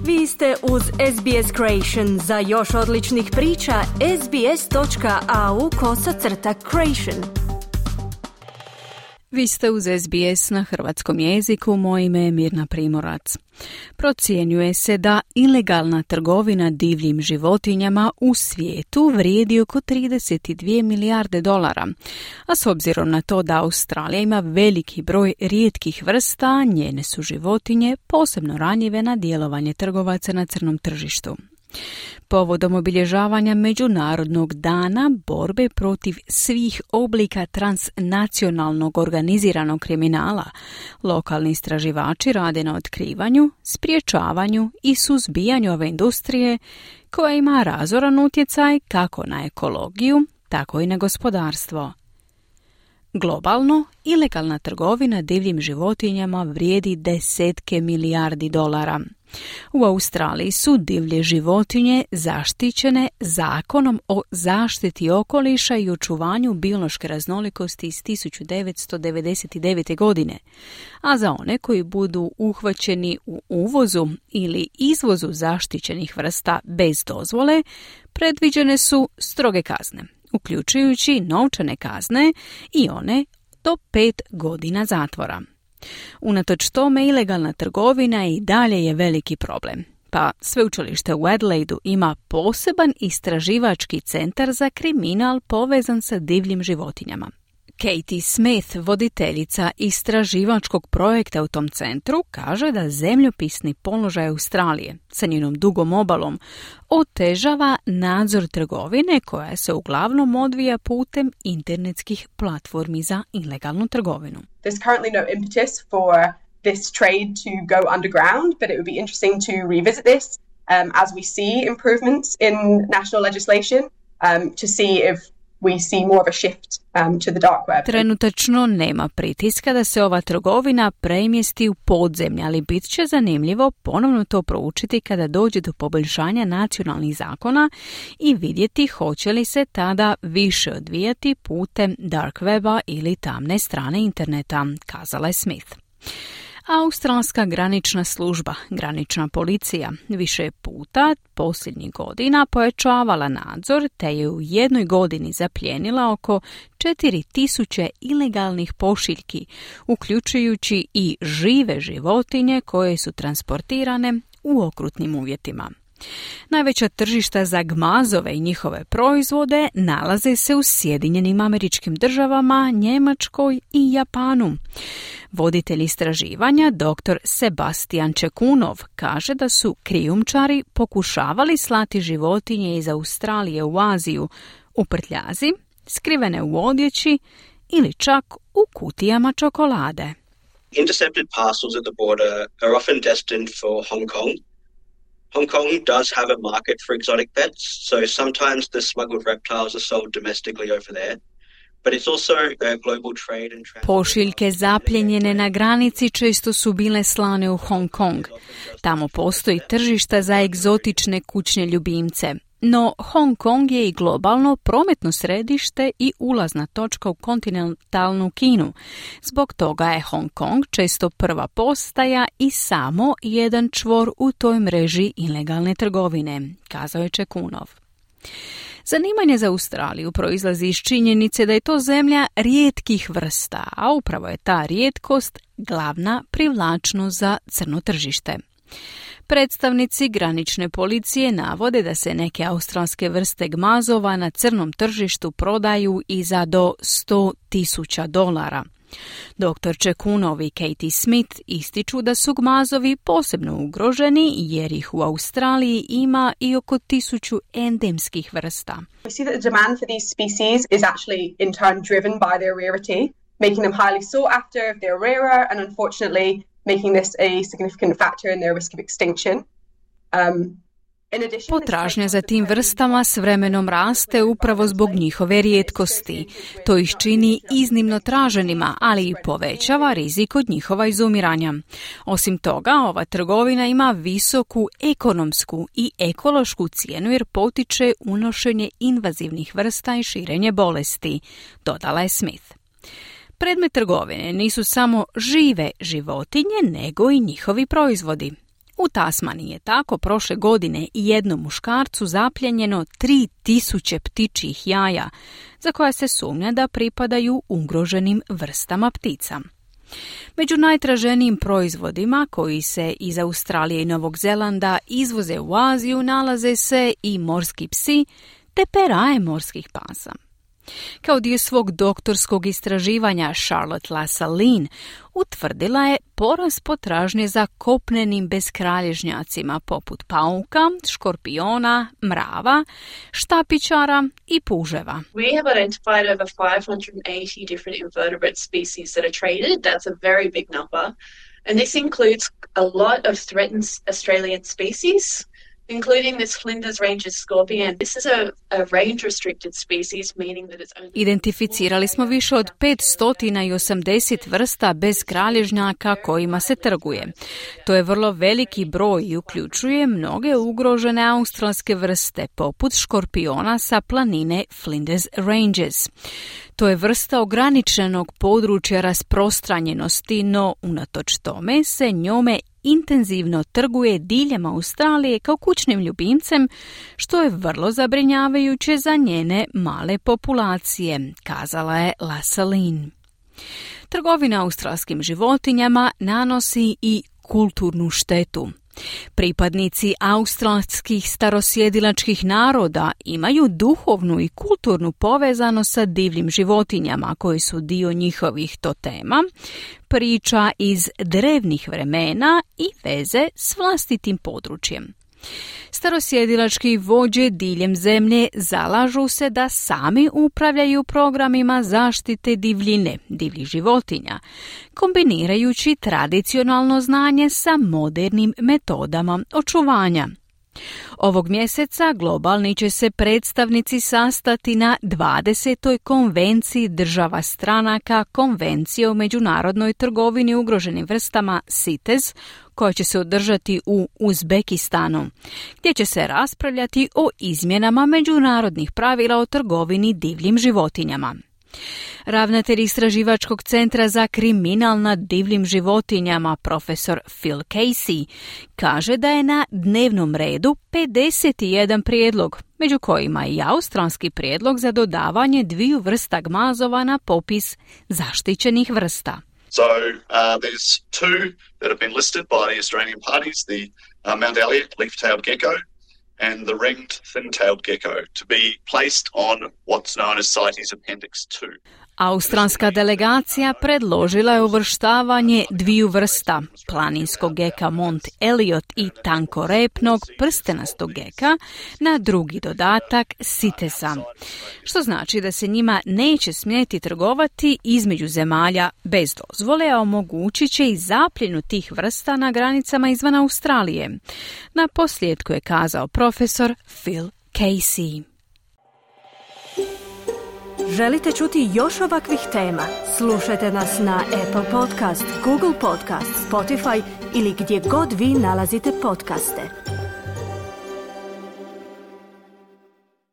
Vi ste uz SBS Creation. Za još odličnih priča, sbs.au/creation. Vi ste uz SBS na hrvatskom jeziku, moje ime je Mirna Primorac. Procjenjuje se da ilegalna trgovina divljim životinjama u svijetu vrijedi oko 32 milijarde dolara, a s obzirom na to da Australija ima veliki broj rijetkih vrsta, njene su životinje posebno ranjive na djelovanje trgovaca na crnom tržištu. Povodom obilježavanja Međunarodnog dana borbe protiv svih oblika transnacionalnog organiziranog kriminala, lokalni istraživači rade na otkrivanju, sprječavanju i suzbijanju ove industrije koja ima razoran utjecaj kako na ekologiju, tako i na gospodarstvo. Globalno, ilegalna trgovina divljim životinjama vrijedi desetke milijardi dolara. U Australiji su divlje životinje zaštićene Zakonom o zaštiti okoliša i očuvanju biološke raznolikosti iz 1999. godine, a za one koji budu uhvaćeni u uvozu ili izvozu zaštićenih vrsta bez dozvole, predviđene su stroge kazne, uključujući novčane kazne i one do 5 godina zatvora. Unatoč tome, ilegalna trgovina i dalje je veliki problem, pa sveučilište u Adelaidu ima poseban istraživački centar za kriminal povezan sa divljim životinjama. Katie Smith, voditeljica istraživačkog projekta u tom centru, kaže da zemljopisni položaj Australije sa njenom dugom obalom otežava nadzor trgovine koja se uglavnom odvija putem internetskih platformi za ilegalnu trgovinu. There's currently no impetus for this trade to go underground, but it would be interesting to revisit this as we see improvements in national legislation to see if we see more of a shift to the dark web. Trenutačno nema pritiska da se ova trgovina premjesti u podzemlje, ali bit će zanimljivo ponovno to proučiti kada dođe do poboljšanja nacionalnih zakona i vidjeti hoće li se tada više odvijati putem dark weba ili tamne strane interneta, kazala je Smith. Australska granična služba, granična policija, više puta posljednjih godina pojačavala nadzor te je u jednoj godini zaplijenila oko 4000 ilegalnih pošiljki, uključujući i žive životinje koje su transportirane u okrutnim uvjetima. Najveća tržišta za gmazove i njihove proizvode nalaze se u Sjedinjenim Američkim Državama, Njemačkoj i Japanu. Voditelj istraživanja, dr. Sebastian Čekunov, kaže da su krijumčari pokušavali slati životinje iz Australije u Aziju u prtljazi, skrivene u odjeći ili čak u kutijama čokolade. Intercepted parcels at the border are often destined for Hong Kong. Hong Kong does have a market for exotic pets, so sometimes the smuggled reptiles are sold domestically over there. But it's also a global trade and transport. Pošiljke zapljenjene na granici često su bile slane u Hong Kong. Tamo postoji tržišta za egzotične kućne ljubimce. No Hong Kong je i globalno prometno središte i ulazna točka u kontinentalnu Kinu. Zbog toga je Hong Kong često prva postaja i samo jedan čvor u toj mreži ilegalne trgovine, kazao je Čekunov. Zanimanje za Australiju proizlazi iz činjenice da je to zemlja rijetkih vrsta, a upravo je ta rijetkost glavna privlačnost za crno tržište. Predstavnici granične policije navode da se neke australske vrste gmazova na crnom tržištu prodaju i za do $100,000. Dr. Čekunov i Katie Smith ističu da su gmazovi posebno ugroženi jer ih u Australiji ima i oko 1000 endemskih vrsta. We see that the demand for these species is actually in turn driven by their rarity, making them highly sought after if they're rarer and unfortunately making this a significant factor in their risk of extinction. Potražnja za tim vrstama s vremenom raste upravo zbog njihove rijetkosti. To ih čini iznimno traženima, ali i povećava rizik od njihova izumiranja. Osim toga, ova trgovina ima visoku ekonomsku i ekološku cijenu jer potiče unošenje invazivnih vrsta i širenje bolesti, dodala je Smith. Predmet trgovine nisu samo žive životinje, nego i njihovi proizvodi. U Tasmaniji je tako prošle godine jednom muškarcu zapljenjeno 3000 ptičjih jaja, za koja se sumnja da pripadaju ugroženim vrstama ptica. Među najtraženijim proizvodima koji se iz Australije i Novog Zelanda izvoze u Aziju nalaze se i morski psi te peraje morskih pasa. Kao dio svog doktorskog istraživanja Charlotte Lassaline utvrdila je porast potražnje za kopnenim beskralježnjacima poput pauka, škorpiona, mrava, štapičara i puževa. We have identified over 580 different invertebrate species that are traded. That's a very big number. And this includes a lot of threatened Australian species, including this Flinders Ranges scorpion. This is a range-restricted species, meaning that it's only... Identificirali smo više od 580 vrsta bez kralježnjaka kojima se trguje. To je vrlo veliki broj i uključuje mnoge ugrožene australske vrste, poput škorpiona sa planine Flinders Ranges. To je vrsta ograničenog područja rasprostranjenosti, no unatoč tome se njome intenzivno trguje diljem Australije kao kućnim ljubimcem, što je vrlo zabrinjavajuće za njene male populacije, kazala je Lassaline. Trgovina australskim životinjama nanosi i kulturnu štetu. Pripadnici australskih starosjedilačkih naroda imaju duhovnu i kulturnu povezanost sa divljim životinjama koji su dio njihovih totema, priča iz drevnih vremena i veze s vlastitim područjem. Starosjedilački vođe diljem zemlje zalažu se da sami upravljaju programima zaštite divljine, divljih životinja, kombinirajući tradicionalno znanje sa modernim metodama očuvanja. Ovog mjeseca globalni će se predstavnici sastati na 20. konvenciji država stranaka Konvencije o međunarodnoj trgovini ugroženim vrstama CITES, koja će se održati u Uzbekistanu, gdje će se raspravljati o izmjenama međunarodnih pravila o trgovini divljim životinjama. Ravnatelj Istraživačkog centra za kriminal nad divljim životinjama, profesor Phil Casey, kaže da je na dnevnom redu 51 prijedlog, među kojima i australski prijedlog za dodavanje 2 vrsta gmazova na popis zaštićenih vrsta. So there's 2 that have been listed by the Australian parties, the Mount Elliott leaf-tailed gecko and the ringed thin-tailed gecko, to be placed on what's known as CITES Appendix 2. Australska delegacija predložila je uvrštavanje 2 vrsta, planinskog geka Mount Elliott i tankorepnog prstenastog geka, na drugi dodatak CITES-a, što znači da se njima neće smjeti trgovati između zemalja bez dozvole, a omogućit će i zapljenu tih vrsta na granicama izvan Australije. Na posljedku je kazao profesor Phil Casey. Želite čuti još ovakvih tema? Slušajte nas na Apple Podcast, Google Podcast, Spotify ili gdje god vi nalazite podcaste.